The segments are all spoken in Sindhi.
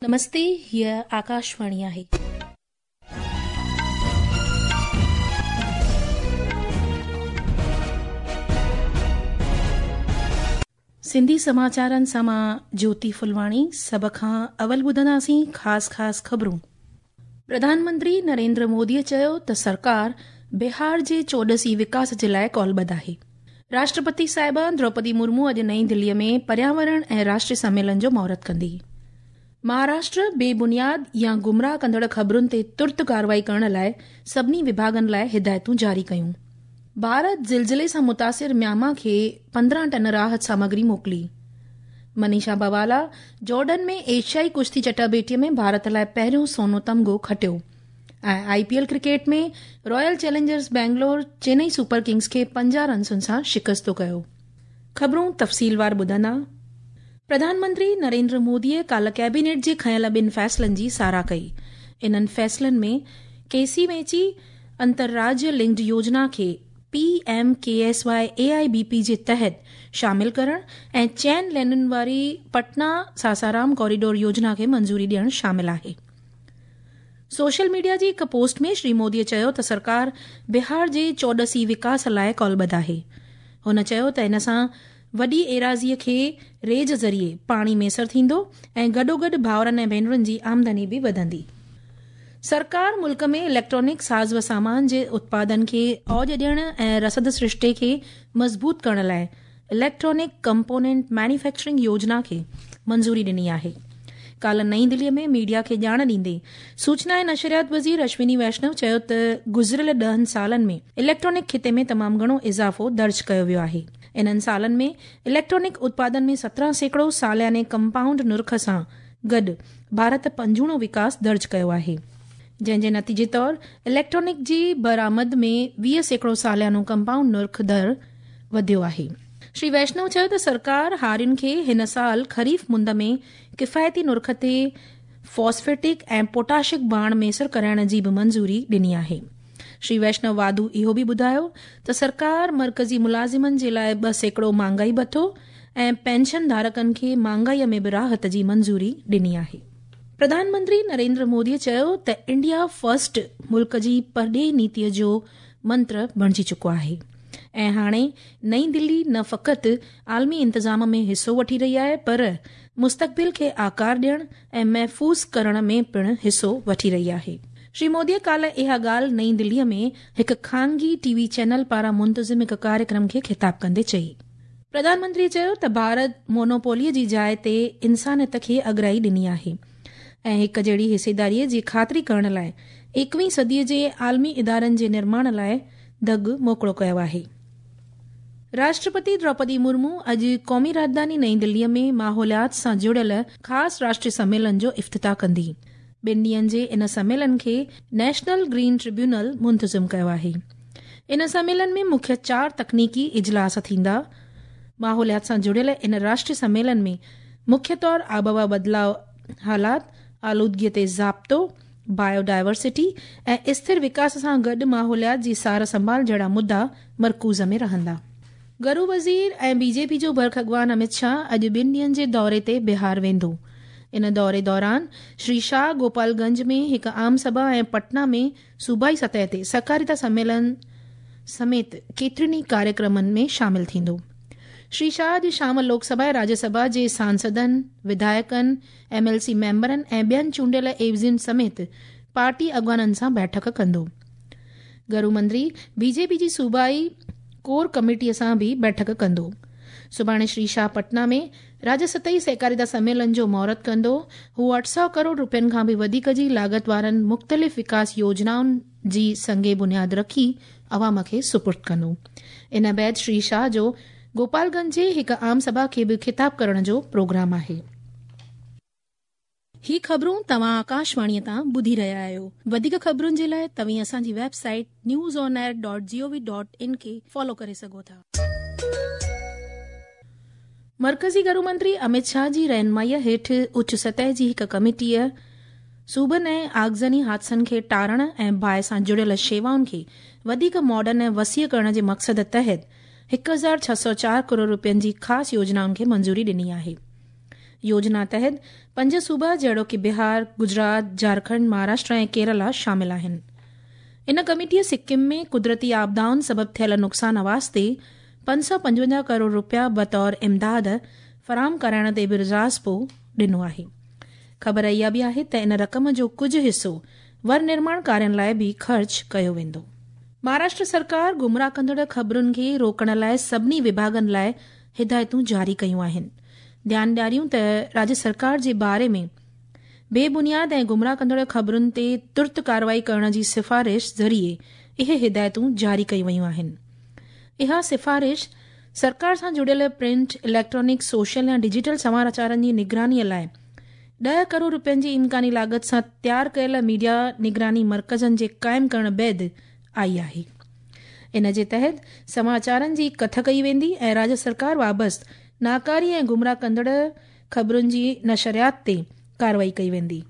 نمستي، هيء آڪاشواڻي آهي. سنڌي سماچارن سان مان جوتي ڦلواڻي سڀ کان اول ٻڌنداسين خاص خاص خبرون. پرڌان منتري نريندر موديء چيو ته سرڪار بهار جي چوڏسي وڪاس جي لاء ڪالبڌ آهي. راشٽرپتي صاحبه دروپدي مرمو اڄ نئين دليء ۾ پرياورڻ ۽ راشٽري سميلن جو مهورت ڪندي. مهاراشٽر بي بنياد يا گمراهه ڪندڙ خبرن تي ترت ڪارروائي ڪرڻ لاء سڀني وڀاڳن لاء هدايتون جاري ڪيون. ڀارت زلزلي سان متاثر ميانما کي 15 ٽن راحت سامگري موڪلي. منيشا بوالا جارڊن ۾ ايشيائي ڪشتي چٽاڀيٽي ۾ ڀارت لاء پهريون سونو تمغو کٽيو ۽ I P L cricket ۾ Royal Challengers Bangalore Chennai Super Kings کي 50 رنسن سان شڪستو ڪيو. خبرون تفصيلوار ٻڌندا. پرڌان منتري نريندر موديء ڪالهه ڪيبينيٽ جي کنيل ٻن فيصلن جي ساراهه ڪئي. انهن فيصلن ۾ ڪيسي ويچي انترراجيه لنڪڊ يوجنا کي P M K S Y A I B P جي تحت شامل ڪرڻ ۽ چئن لينن واري پٽنا ساسارام ڪوريڊور يوجنا کي منظوري ڏيڻ شامل آهي. سوشل ميڊيا جي هڪ پوسٽ ۾ شري موديء چيو ته سرڪار بهار جي چوڏسي وڪاس لاء ڪالبڌ آهي. هن چيو ته ان سان وڏي ايراضيء کي ريج ذريعي پاڻي ميسر ٿيندو ۽ گڏوگڏ ڀائرن ۽ ڀينرن جي آمدني به وڌندي. سرڪار ملڪ ۾ اليڪٽرانڪ ساز و سامان جي اتپادن کي اوڄ ڏيڻ ۽ رسد سرشتي کي مضبوط ڪرڻ لاء اليڪٽرانڪ ڪمپونينٽ مينوفيڪچرنگ يوجنا کي منظوري ڏني آهي. ڪالهه نئين دليء ۾ ميڊيا کي ڄاڻ ڏيندي سوچنا ۽ نشريات وزير اشوني ويشنو چيو ته گذريل ڏهن سالن ۾ اليڪٽرانڪ خطي ۾ تمام گهڻو اضافو درج ڪيو ويو آهي. انهن سالن ۾ اليڪٽرانڪ اتپادن ۾ 17% سالياني ڪمپائونڊ نرخ سان گڏ ڀارت پنجوڻو وڪاس درج ڪيو آهي. جنهن جي نتيجي طور اليڪٽرانڪ جي برآمد ۾ 20% ساليانو ڪمپائونڊ نرخ در وڌيو آهي. شري ويشنو چيو ته سرڪار هارين کي هن سال خريف مند ۾ ڪفايتي نرخ تي فاسفيٽڪ ۽ پوٽاشڪ ڀاڻ ميسر ڪرائڻ جي به منظوري ڏني آهي. شري ويشنو واڌو اهو به ٻڌايو ته سرڪار مرڪزي ملازمن جي لاء 2% مهانگائي ڀتو ۽ پينشن ڌارڪن کي مهانگائي ۾ به راحت جي منظوري ڏني آهي. پرڌان منتري نريندر مودي چيو ته انڊيا فرسٽ ملڪ جي پرڏيهي نيتي جو منتر بڻجي چڪو آهي ۽ هاڻي نئين دلي نه فقط عالمي انتظام ۾ حصو وٺي رهي آهي پر مستقبل کي آڪار ڏيڻ ۽ محفوظ ڪرڻ ۾ پڻ حصو وٺي رهي آهي. شري مودي ڪالهه اها ڳالهه نئين دلي ۾ هڪ خانگي ٽي وي چينل پاران منتظم هڪ ڪاريڪرم کي خطاب ڪندي چئي. پرڌان منتري چيو ته ڀارت مونوپولي جي جاء تي انسانيت کي اڳرائي ڏني آهي ۽ هڪ جهڙي حصيداري جي خاطري ڪرڻ لاء ايڪويهين صدي جي عالمي ادارن جي نرماڻ لاء دڳ موڪڙو ڪيو آهي. راشٽرپتي دروپدي مرمو اڄ قومي راڄڌاني نئين دلي ۾ ماحوليات سان جڙيل خاص راشٽري سميلن جو افتتاح ڪندي. ٻن ڏينهن جي ان سميلن کي نيشنل گرين ٽربيونل منتظم ڪيو آهي. ان سميلن ۾ مکيه چار تڪنيڪي اجلاس ٿيندا. ماحوليات سان جڙيل ان راشٽري سميلن ۾ مکيه طور آبهوا بدلاء حالات، آلودگي تي ضابطو، بايو ڊائيورسٽي ۽ اسٿر وڪاس سان گڏ ماحوليات جي سار سنڀال جهڙا مدعا مرڪوز ۾ رهندا. گهرو وزير ۽ بي جي پي جو برک اڳواڻ امت شاهه اڄ ٻن ڏينهن جي دوري تي بهار ويندو. ان دوري دوران شري شاهه گوپال گنج ۾ هڪ عام سڀا ۽ پٽنا ۾ صوبائي سطح تي سهڪاريتا سميلن سميت ڪيترن ئي ڪاريڪرمن ۾ شامل ٿيندو. شري شاهه اڄ شام لوڪ سڀا ۽ راجيه سڀا جي سانسدن، وڌايڪن، ايم ايل سي ميمبرن ۽ ٻين چونڊيل عيوضين سميت پارٽي اڳواڻن سان بيٺڪ ڪندو. گهرو منتري بي جي پي جي صوبائي ڪور ڪميٽي سان به بيٺڪ ڪندو. سڀاڻي شري شاهه پٽنا ۾ راجيه سطحي سهڪاريتا سميلن جو مهورت ڪندو. هو 800 ڪروڙ روپين کان به وڌيڪ جي لاڳت وارن مختلف وڪاس يوجنائن جي سنگ بنياد رکي عوام کي سپرد ڪندو. ان بعد شري شاهه جو گوپال گنج جي هڪ عام سڀا کي به خطاب ڪرڻ جو پروگرام آهي. هي خبرون توهان آڪاشواڻيء تان ٻڌي رهيا آهيو. وڌيڪ خبرن جي لاء توهين اسان جي website news on air dot G O V dot in کي فالو ڪري سگهو ٿا. مرڪزي گهرو منتري اميت شاهه جي رهنمائيء هيٺ اچ سطح جي هڪ ڪميٽيء صوبن ۽ آگزني حادثن کي ٽارڻ ۽ باهه سان جڙيل شيوائن کي وڌيڪ ماڊرن ۽ وسيع ڪرڻ جي مقصد تحت 1604 ڪروڙ روپين جي خاص يوجنائن کي منظوري ڏني آهي. يوجنا تحت پنج صوبا جهڙوڪ بهار، گجرات، جهارکنڊ، مهاراشٽر ۽ ڪيرالا شامل آهن. ان ڪميٽيء سڪم ۾ قدرتي آپدائن سبب ٿيل نقصان واسطي 555 ڪروڙ رپيا بطور امداد فراهم ڪرائڻ تي به راضپو ڏنو آهي. خبر اها به آهي ته ان رقم جو ڪجهه حصو ور نرماڻ ڪارين لاء به خرچ ڪيو ويندو. مهاراشٽر سرڪار گمراهه ڪندڙ خبرن کي روڪڻ لاء سڀني وڀاڳن لاء هدايتون جاري ڪيون آهن. ڌيان ڏياريون ته راجيه سرڪار جي باري ۾ بي بنياد ۽ گمراهه ڪندڙ خبرن تي ترت ڪارروائي ڪرڻ جي سفارش ذريعي اهي هدايتون جاري ڪيون ويون آهن. اها سفارش سرڪار سان جڙيل پرنٽ، اليڪٽرانڪ، سوشل يا ڊجيٽل سماچارن جي نگراني لاء 10 ڪروڙ رپين جي امڪاني لاڳت سان تيار ڪيل ميڊيا نگراني مرڪزن جي قائم ڪرڻ بعد آئي آهي. ان جي تحت سماچارن جي ڪٿ ڪئي ويندي ۽ راجيه سرڪار وابسته ناڪاري ۽ گمراهه ڪندڙ خبرن جي نشريات تي ڪارروائي ڪئي ويندي.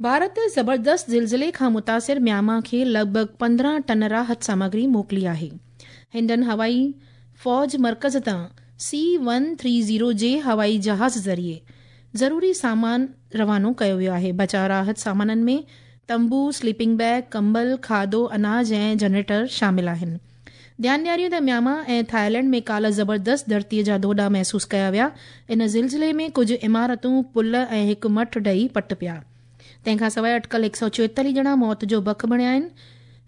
ڀارت زبردست زلزلي کان متاثر ميانما کي لڳ ڀڳ 15 ٽن راحت سامگري موڪلي آهي. هنڊن هوائي فوج مرڪز تان سي 130 جي هوائي جهاز ذريعي ضروري سامان روانو ڪيو ويو آهي. بچاء راحت سامانن ۾ تنبو، سليپنگ بيگ، ڪمبل، کاڌو، اناج ۽ جنريٽر شامل آهن. ڌيان ڏياريون ته ميانما ۽ ٿائيلينڊ ۾ ڪالهه زبردست ڌرتيء جا ڌوڏا محسوس ڪيا ويا. ان زلزلي ۾ ڪجهه عمارتون، پل ۽ هڪ مٺ ڊهي پٽ پيا. تنهن کان سواء اٽڪل 144 ڄڻا موت جو بک بڻيا آهن.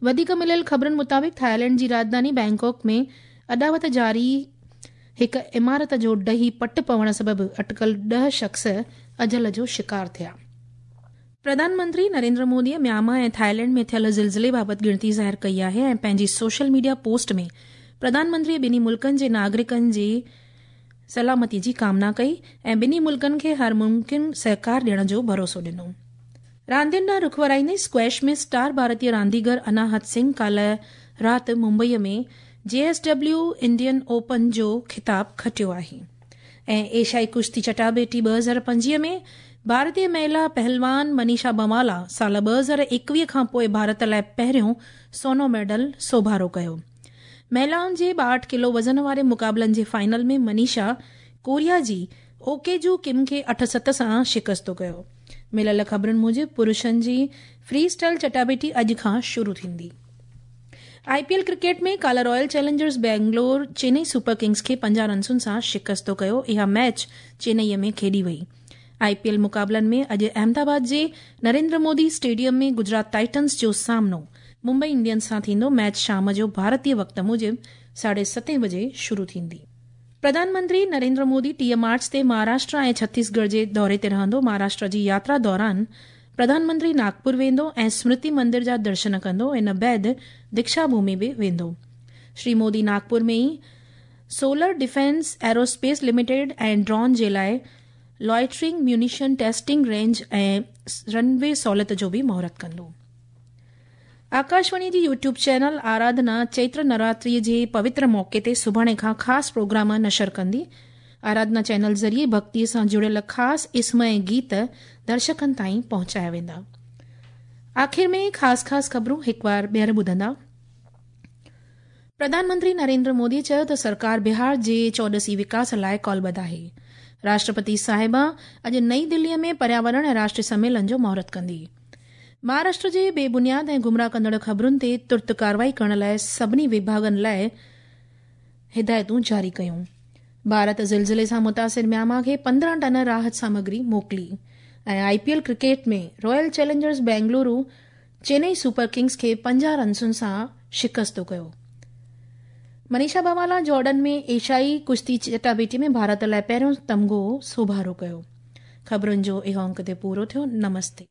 وڌيڪ مليل خبرن مطابق ٿائيلينڊ جي راڄڌاني بئنڪاڪ ۾ اڏاوت جاري هڪ عمارت جو ڊهي پٽ پوڻ سبب اٽڪل 10 شخص اجل جو شڪار ٿيا. پرڌان منتري نريندر مودي ميانما ۽ ٿائيلينڊ ۾ ٿيل زلزلي بابت ڳڻتي ظاهر ڪئي آهي ۽ پنهنجي social media post ۾ Pradhan Mantri ٻنهي ملڪن جي ناگرڪن جي سلامتي جي ڪامنا ڪئي ۽ ٻنهي ملڪن کي هر ممڪن سهڪار ڏيڻ جو ڀروسو ڏنو. راندين ڏانهن رخ ورائيندي اسڪويش ۾ اسٽار ڀارتي رانديگر اناهت سنگهه ڪالهه رات Mumbai ۾ J S W Indian Open جو خطاب کٽيو آهي. ۽ ايشيائي ڪشتي چٽاڀيٽي 2025 ۾ ڀارتي مهلا پهلوان منيشا بنوالا سال 2021 کان پوء ڀارت لاء پهريون سونو ميڊل سوڀارو ڪيو. مهلائن جي 62 ڪلو وزن واري مقابلن جي فائنل ۾ منيشا ڪوريا جي اوڪيجو ڪم کي 8-7 سان شڪستو ڪيو. مليل خبرن موجب پرشن جي فري اسٽائل چٽاڀيٽي اڄ کان شروع ٿيندي. آء پي ايل ڪرڪيٽ ۾ ڪالهه Royal Challengers Bangalore Chennai Super Kings کي 50 رنسن سان شڪستو ڪيو. اها ميچ چينئي ۾ کيڏي وئي. آء پي ايل مقابلن ۾ اڄ احمدآباد جي نريندر مودي اسٽيڊيم ۾ گجرات ٽائٽنز جو سامنو ممبئي انڊينز سان ٿيندو. ميچ شام جو ڀارتي وقت موجب 7:30 بجي شروع ٿيندي. پرڌان منتري نريندر مودي 30 مارچ تي مهاراشٽر ۽ ڇتيسڳڙهه جي دوري تي رهندو. مهاراشٽر جي ياترا دوران پرڌان منتري ناگپور ويندو ۽ سمرتي مندر جا درشن ڪندو. ان بعد ديڪشا ڀومي به ويندو. شري مودي ناگپور ۾ ئي solar defence aerospace limited ۽ drone جي لاء لوئٽرنگ ميونيشن ٽيسٽنگ رينج ۽ رن وي سهولت جو به مهورت ڪندو. آڪاشواڻي جي يوٽيوب چينل آراڌنا چيتر نوراتري جي پوتر موقعي تي سڀاڻي کان خاص پروگرام نشر ڪندي. آراڌنا چينل ذريعي ڀڳتي سان جڙيل خاص اسم ۽ گيت درشڪن تائين پهچايا ويندا. آخر ۾ خاص خاص خبرون هڪ بار ٻيهر ٻڌندا. پرڌان منتري نريندر مودي چيو ته سرڪار بهار جي چوڏسي وڪاس لاء ڪالبڌ آهي. راشٽرپتي صاحبه اڄ نئين دلي ۾ پرياورڻ ۽ راشٽري سميلن جو مهورت ڪندي. مهاراشٽر جي بي بنياد ۽ گمراهه ڪندڙ خبرن تي ترت ڪارروائي ڪرڻ لاء سڀني وڀاڳن لاء هدايتون جاري ڪيون. ڀارت زلزلي سان متاثر ميانما کي 15 ٽن راحت سامگري موڪلي ۽ I P L cricket ۾ Royal Challengers Bengaluru Chennai Super Kings کي 50 رنسن سان شڪستو ڪيو. منيشا بوالا جارڊن ۾ ايشيائي ڪشتي چٽاڀيٽي ۾ ڀارت لاء پهريون تمغو سوڀارو ڪيو. خبرن جو اهو انڪ تي پورو ٿيو. نمستي.